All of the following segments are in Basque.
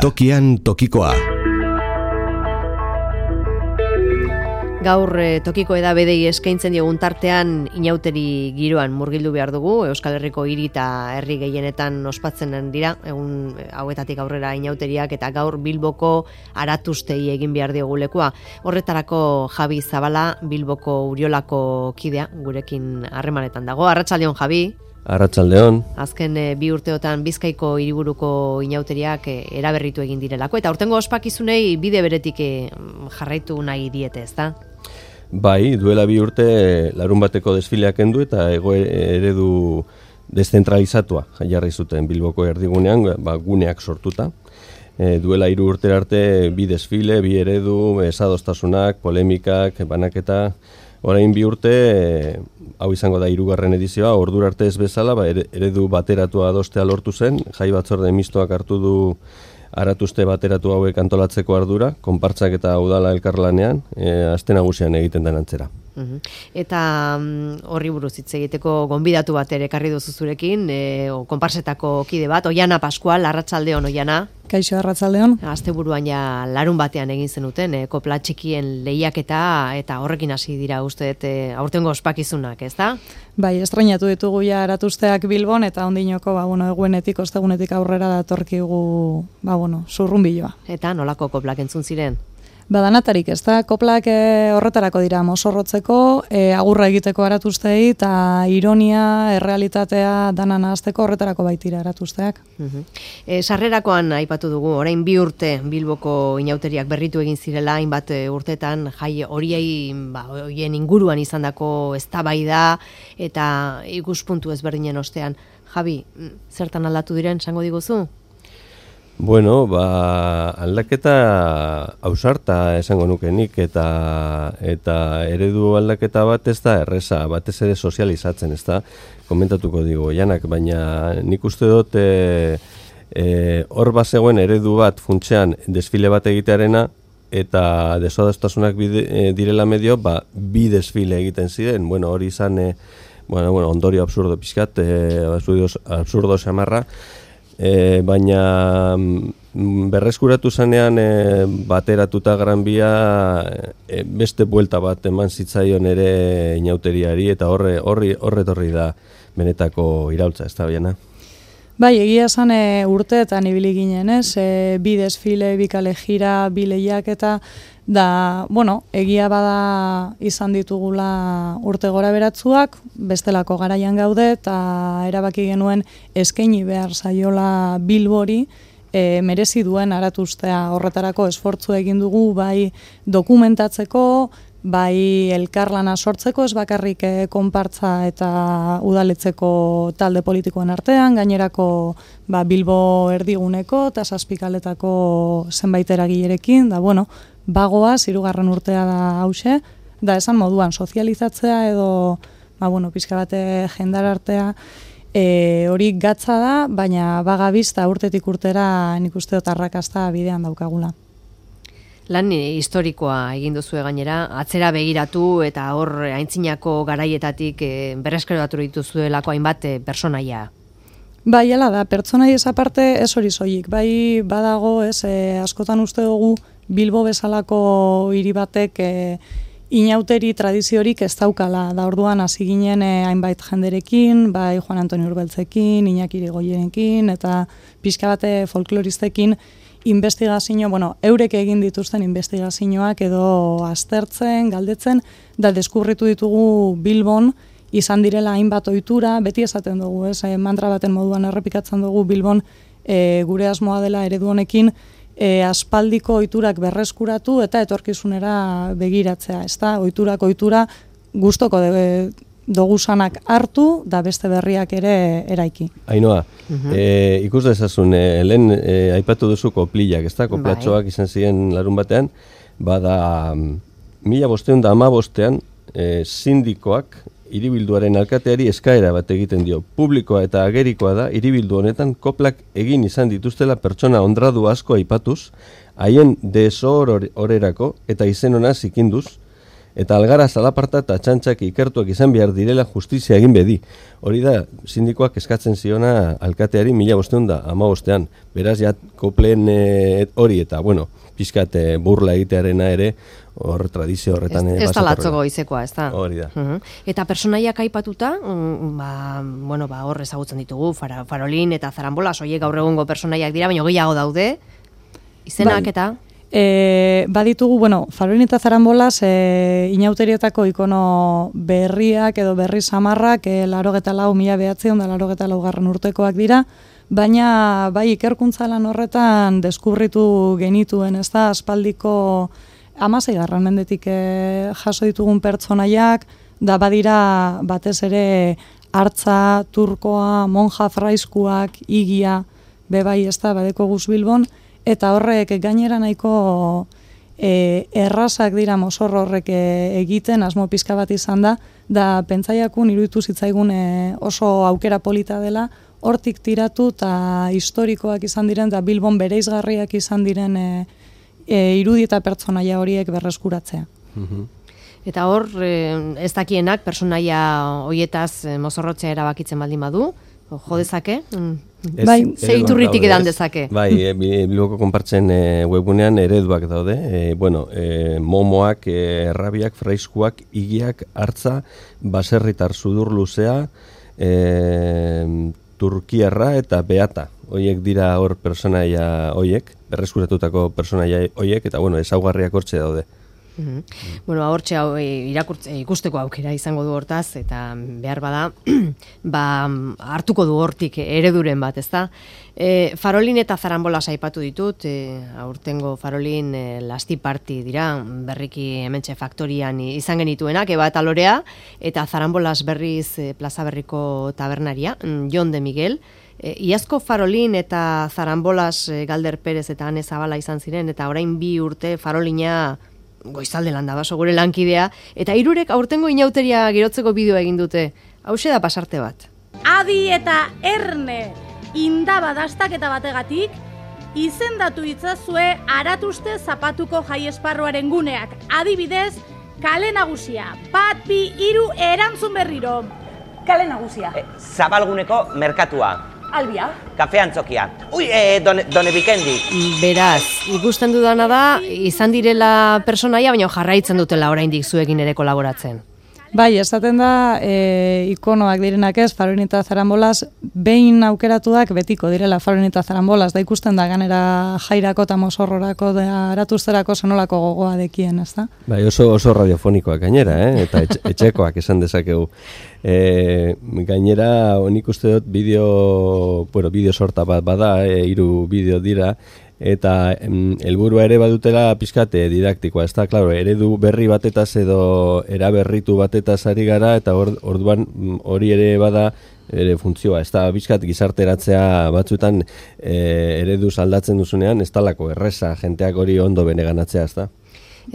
Tokian tokikoa. Gaur tokiko edabedei eskaintzen diogun tartean inauteri giroan murgildu behar dugu. Euskal Herriko hiri eta herri gehienetan ospatzen dira egun hauetatik aurrera inauteriak, eta gaur Bilboko Aratustei egin behar diogu lekua. Horretarako Javi Zabala, Bilboko Uriolako kidea, gurekin harremanetan dago. Arratsaldeon, Javi. Arratsaldeon. Azken 2 urteotan Bizkaiko hiriburuko inauteriak eraberritu egin direlako, eta aurtengo ospakizunei bide beretik jarraitu nahi diete, ezta? Bai, duela 2 urte larunbateko desfileak kendu eta eredu deszentralizatua jarri zuten Bilboko erdigunean, guneak sortuta. Duela 3 urte arte 2 desfile, 2 eredu, desadostasunak, polemikak, banaketa. Orain 2 urte, hau izango da 3. edizioa, ordura arte ez bezala, eredu bateratua adostea lortu zen, jai batzorde mistoak hartu du Aratuste bateratu hauek antolatzeko ardura, konpartzak eta udala elkarlanean, aste nagusian egiten den antzera. Eta horri buruz hitz egiteko gonbidatu bat ere ekarri duzu zurekin, konpartzetako kide bat, Oiana Pascual, arratsaldeon Oiana. Kaixo, arratsaldeon. Asteburuan ja larun batean egin zenuten, kopla txikien lehiaketa, eta horrekin hasi dira usteet aurtengo ospakizunak, ezta? Bai, estrainatu ditugu ja Aratusteak Bilbon, eta ondinoko, egunetik, ostegunetik aurrera datorkigu, zurrunbiloa. Eta nolako koplak entzun ziren? Danatarik, ez da, koplak horretarako dira mozorrotzeko, agurra egiteko Aratustei, eta ironia, errealitatea danan ahazteko horretarako baitira Aratusteak. Sarrerakoan aipatu dugu, orain 2 urte Bilboko inauteriak berritu egin zirela, hainbat urtetan, jai horiei, horien inguruan izandako eztabaida eta ikuspuntu ezberdinen ostean. Javi, zertan aldatu diren, esango diguzu? Bueno, aldaketa ausarta esango nukenik, eta eredu aldaketa bat ez da erreza, batez ere sozializatzen, ez da, komentatuko digu Janak, baina nik uste dut hor bazegoen eredu bat funtsean desfile bat egitearena, eta desadostasunak direla medio, 2 desfile egiten ziren, hori izan, ondorio absurdo pixkat, absurdo xamarra, baina berreskuratu zanean bateratuta Gran Bia beste buelta bat eman zitzaion ere inauteriari, eta horretorri da benetako iraultza, ez da Oiana? Bai, egia esan urteetan ibili ginen, ez? 2 desfile, 2 kalejira, 2 lehiaketa, da, egia bada izan ditugula urte gora beratzuak, bestelako garaian gaude, eta erabaki genuen eskaini behar zaiola Bilbori, merezi duen Aratustea. Horretarako esfortzu egin dugu, bai dokumentatzeko, bai elkarlana sortzeko, ez bakarrik konpartza eta udaletzeko talde politikoen artean, gainerako Bilbo erdiguneko eta 7 kaletako zenbait eragilerekin, da bagoaz, 3. urtea da hause, da esan moduan sozializatzea edo, pixka bate jendarartea, hori gatza da, baina bagabizta urtetik urtera nik uste dut arrakasta bidean daukagula. Lan historikoa egin duzue gainera, atzera begiratu eta hor aintzinako garaietatik berreskuratu dituzuelako hainbat pertsonaia. Bai, hala da, pertsonai aparte ez hori soilik, bai badago, askotan uste dugu Bilbo bezalako hiri batek inauteri tradiziorik ez daukala, da orduan hasi ginen hainbait jenderekin, bai Juan Antonio Urbeltzekin, Iñaki Irigoyenekin, eta pixka bate folkloristekin investigazio, eurek egin dituzten investigazioak edo aztertzen, galdetzen, da deskubritu ditugu Bilbon izan direla hainbat ohitura, beti esaten dugu, mantra baten moduan errepikatzen dugu Bilbon gure asmoa dela eredu honekin, aspaldiko ohiturak berreskuratu eta etorkizunera begiratzea, ezta? Ohitura gustoko dogusanak hartu da beste berriak ere eraiki. Ainhoa, ikus dezazun, lehen aipatu duzu koplillak, ezta? Koplatxoak izan ziren larun batean, bada 1515 sindikoak hiribilduaren alkateari eskaera bat egiten dio. Publikoa eta agerikoa da hiribildu honetan koplak egin izan dituztela pertsona honradu asko aipatuz, haien desohorerako eta izen ona zikinduz, Eta algara zalaparta eta txantxak ikertuak izan behar direla justizia egin bedi. Hori da, sindikoak eskatzen ziona alkateari 1515. Beraz, ja, kopleen hori eta, bueno, pixkat burla egitearena ere, hor tradizio horretan... Ez da latzoko izekoa, ez da. Hori da. Eta personaiak aipatuta, hor ezagutzen ditugu, Farolin eta Zarambolas, horiek gaur egungo personaiak dira, baina gehiago daude, izenak eta... Baditugu, Farolin eta Zarambolas inauterietako ikono berriak edo berri samarrak 1984 urtekoak dira, baina bai ikerkuntza lan horretan deskubritu genituen, ez da, aspaldiko 16. mendetik jaso ditugun pertsonaiak, da badira batez ere hartza, turkoa, monja fraiskuak, igia, bebai ez da, badeko Guz Bilbon, eta horrek gainera nahiko errazak dira mozorro horrek egiten, asmo pizka bat izan da pentsaiakun iruditu zitzaigun oso aukera polita dela, hortik tiratu eta historikoak izan diren, da Bilbon bereizgarriak izan diren irudi eta pertsonaia horiek berreskuratzea. Eta hor, ez dakienak pertsonaia hoietaz mozorrotzea erabakitzen baldin badu, jo dezake? Ze iturritik edan dezake? Bai, Bilboko konpartzen webgunean ereduak daude, momoak, errabiak, fraiskuak, igiak, hartza, baserritar sudur luzea, turkiarra eta beata. Hoiek dira hor personaia hoiek, berreskuratutako personaia hoiek, eta ezaugarriak hortxe daude. Hortxe ikusteko aukera izango du hortaz, eta behar bada, hartuko du hortik ereduren bat, ezta? Farolin eta Zarambolas aipatu ditut, aurtengo Farolin lasti parti dira, berriki hementxe faktorian izan genituenak, Eba eta Lorea, eta Zarambolas berriz Plaza Berriko tabernaria, Jon de Miguel. Iazko Farolin eta Zarambolas Galder Perez eta Ane Zabala izan ziren, eta orain 2 urte Farolina Goizalde landa baso gure lankidea, eta hirurek aurtengo inauteria girotzeko bideoa egin dute. Hauxe da pasarte bat. Adi eta Erne indaba dastaketa bategatik, izendatu itzazue Aratuste zapatuko jai esparruaren guneak. Adibidez, Kale Nagusia, 1, 2, 3 erantzun berriro. Kale Nagusia. Zabalguneko merkatua. Albia. Kafe Antzokia. Done Bikendi. Beraz, ikusten dudana da, izan direla personaia, baina jarraitzen dutela oraindik zuekin ere kolaboratzen. Bai, esaten da, ikonoak direnak ez, Farolin eta Zarambolas, behin aukeratuak betiko direla Farolin eta Zarambolas, da ikusten da ganera jairako eta mozorrorako, Aratuzterako zenolako gogoa dekien, ez da? Bai, oso radiofonikoak gainera, eta etxekoak esan dezakegu. Gainera, nik uste dut bideo sorta bat bada, 3 bideo dira, eta helburua ere badutela pizkate didaktikoa, ez da, klaro, eredu berri batetaz edo eraberritu batetaz ari gara, eta orduan hori ere bada ere funtzioa, ez da, pizkat gizarteratzea batzuetan ereduz aldatzen duzunean, ez talako erreza, jenteak hori ondo beneganatzea, ez da.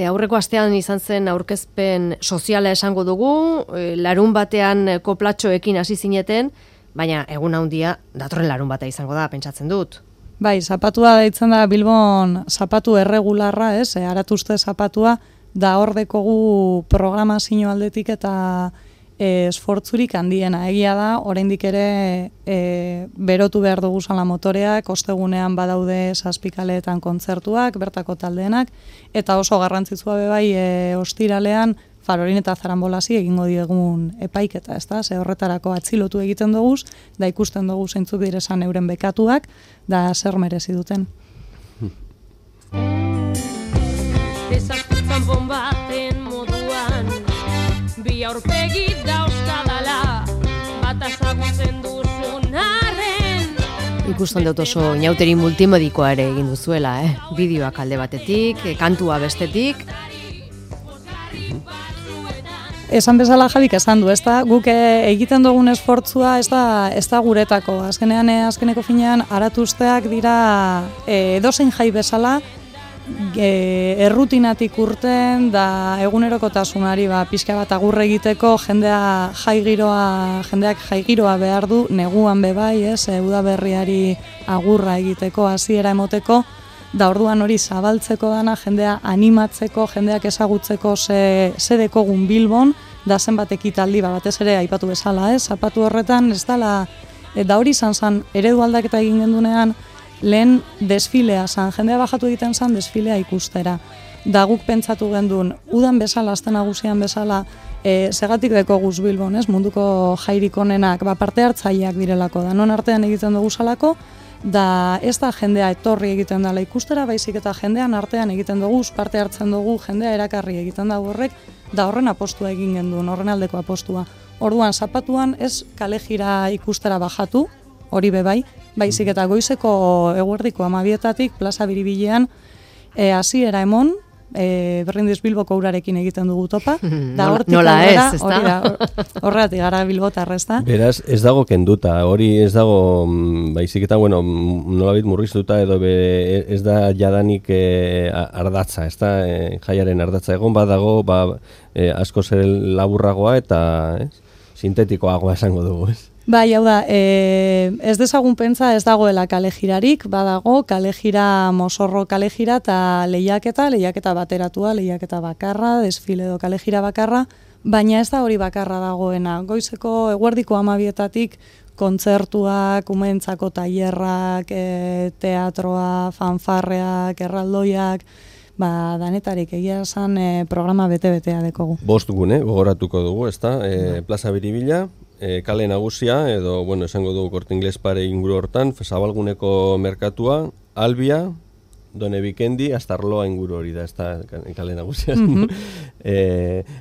Aurreko astean izan zen aurkezpen soziala esango dugu, larun batean koplatxoekin hasi zineten, baina egun handia datorren larun bata izango da, pentsatzen dut. Bai, zapatua deitzen da Bilbon zapatu erregularra, Aratuste zapatua, da hor dekogu programazio aldetik eta esfortzurik handiena. Egia da, oraindik ere berotu behar dugu zala motoreak, ostegunean badaude 7 kaleetan kontzertuak, bertako taldeenak, eta oso garrantzitsua bebai ostiralean Farolin eta Zarambolasi egingo diegun epaiketa, ez da? Ze horretarako atzilotu egiten dugu, da ikusten dugu zeintzuk direzan euren bekatuak, da zer merezi duten. Desaztutzan bombaten moduan, bi aurpegi dauzkadala, bat azagutzen duzun arren. Ikusten dut oso inauteri multimedikoa ere egin duzuela, bideoak alde batetik, kantua bestetik. Esan bezala Jabik esan du, ez da, guk egiten dugun esfortzua ez da guretako. Azkeneko finean, Aratusteak dira edozein jai bezala, errutinatik urten, da egunerokotasunari pixka bat agurre egiteko, jendeak jai giroa behar du, neguan bebai, udaberriari agurra egiteko, hasiera emoteko, da orduan hori zabaltzeko dana, jendea animatzeko, jendeak ezagutzeko ze dekogun Bilbon, da zenbat ekitaldi, batez ere aipatu bezala, zapatu horretan, ez dala, da hori izan eredu aldaketa egin gendunean, lehen desfilea zan, jendea bajatu egiten zan desfilea ikustera. Da guk pentsatu gendun, udan bezala, aste nagusian bezala, segatik deko guz Bilbon, munduko jairik onenak, parte hartzaileak direlako, da non artean egiten dugu salako, da ez da jendea etorri egiten dela ikustera, baizik eta jendean artean egiten dugu, parte hartzen dugu, jendea erakarri egiten dugu horrek, da horren apostua egin gendun, horren aldeko apostua. Orduan, zapatuan ez kale jira ikustera bajatu, hori bebai, baizik eta goizeko eguerdiko 12:00 plaza Biribilean hasiera emon, Berrindiz Bilboko urarekin egiten dugu topa, da hortik nola ez, hori da, horretik gara Bilbotar, ez da? Beraz, ez dago kenduta, hori ez dago, baizik eta, bueno, nolabait murriztuta edo ez da jadanik ardatza, ez da, jaiaren ardatza egon badago, asko zer laburragoa eta sintetikoagoa esango dugu, ez? Bai, hau da, ez dezagun pentsa ez dagoela kalejirarik, badago kalejira, Mosorro kalejira eta lehiaketa bateratua, lehiaketa bakarra, desfile edo kalejira bakarra, baina ez da hori bakarra dagoena. Goizeko eguerdiko 12:00 kontzertuak, umeentzako tailerrak, teatroa, fanfarreak, erraldoiak, danetarik egia esan programa bete-betea dekogu. 5 gune, gogoratuko dugu, ez da, plaza Biribila, kale nagusia, edo, esango dugu Corte Inglés pare inguru hortan, Zabalguneko merkatua, Albia, Done Bikendi, Astarloa inguru hori da, ez da kale nagusia.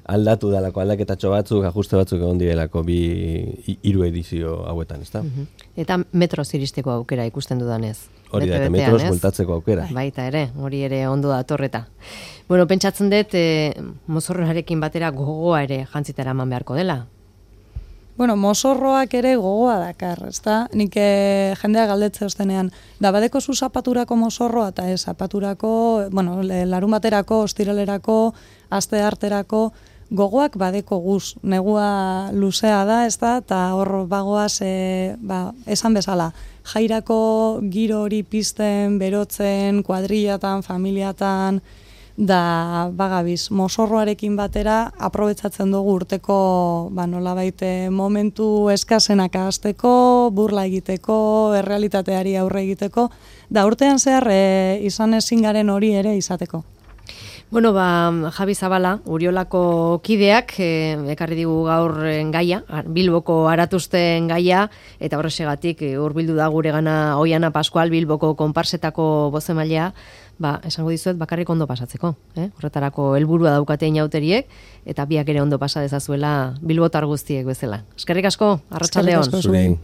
Aldatu dalako, aldaketatxo batzuk, ajuste batzuk egon direlako 3 edizio hauetan, ez da? Eta metroz iristeko aukera ikusten dudanez. Hori da, eta metroz bueltatzeko aukera. Baita ere, hori ere ondo da torreta. Bueno, pentsatzen dut, mozorroarekin batera gogoa ere jantzitara eman beharko dela. Bueno, Mosorroak ere gogoa dakar, ezta? Nik jendea galdetze ostenean, da badeko zu zapaturako Mosorroa eta zapaturako, larun baterako, ostiralerako, aste arterako, gogoak badeko guz, negua luzea da, ezta? Eta hor bagoaz, esan bezala, jairako giro hori pizten, berotzen, kuadrillatan, familiatan, da bagabiz, Mosorroarekin batera aprobetsatzen dugu urteko nolabait momentu eskasenak ahazteko, burla egiteko, errealitateari aurre egiteko, da urtean zehar izan ezin garen hori ere izateko. Bueno, Javi Zabala, Uriolako kideak, ekarri digu gaur gaia, Bilboko aratuzten gaia, eta horrexegatik hurbildu da gure gana Oiana Pascual, Bilboko konparsetako bozemailea, esango dizuet bakarrik ondo pasatzeko, horretarako helburua daukate inauteriek, eta biak ere ondo pasa dezazuela bilbotar guztiek bezala. Eskerrik asko, arratsalde on. Zure,